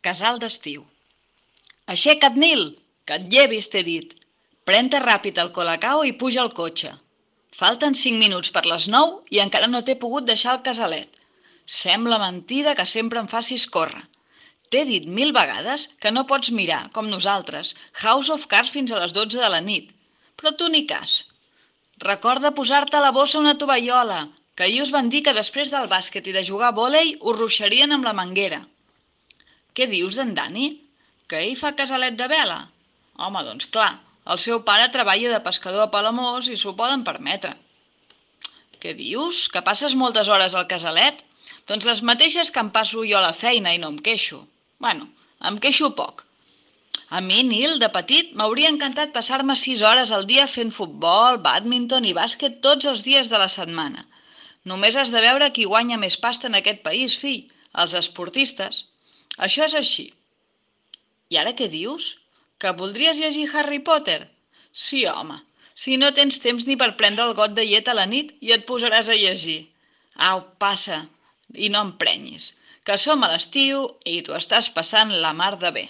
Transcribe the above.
Casal d'estiu. Aixeca't, Nil, que et llevis, t'he dit. Pren-te ràpid el colacao i puja al cotxe. Falten 5 minuts per les 9 i encara no t'he pogut deixar el casalet. Sembla mentida que sempre em facis córrer. T'he dit 1000 vegades que no pots mirar, com nosaltres, House of Cards fins a les 12 de la nit. Però tu ni cas. Recorda posar-te a la bossa una tovallola, que ahir us van dir que després del bàsquet i de jugar a vòlei us ruixarien amb la manguera. Què dius d'en Dani? Que ell fa casalet de vela? Home, doncs clar, el seu pare treballa de pescador a Palamós i s'ho poden permetre. Què dius? Que passes moltes hores al casalet? Doncs les mateixes que em passo jo a la feina i no em queixo. Bueno, em queixo poc. A mi, Nil, de petit, m'hauria encantat passar-me 6 hores al dia fent futbol, bàdminton i bàsquet tots els dies de la setmana. Només has de veure qui guanya més pasta en aquest país, fill, els esportistes. Això és així. I ara què dius? Que voldries llegir Harry Potter? Sí, home, si no tens temps ni per prendre el got de llet a la nit i et posaràs a llegir. Au, passa, i no emprenyis, que som a l'estiu i t'ho estàs passant la mar de bé.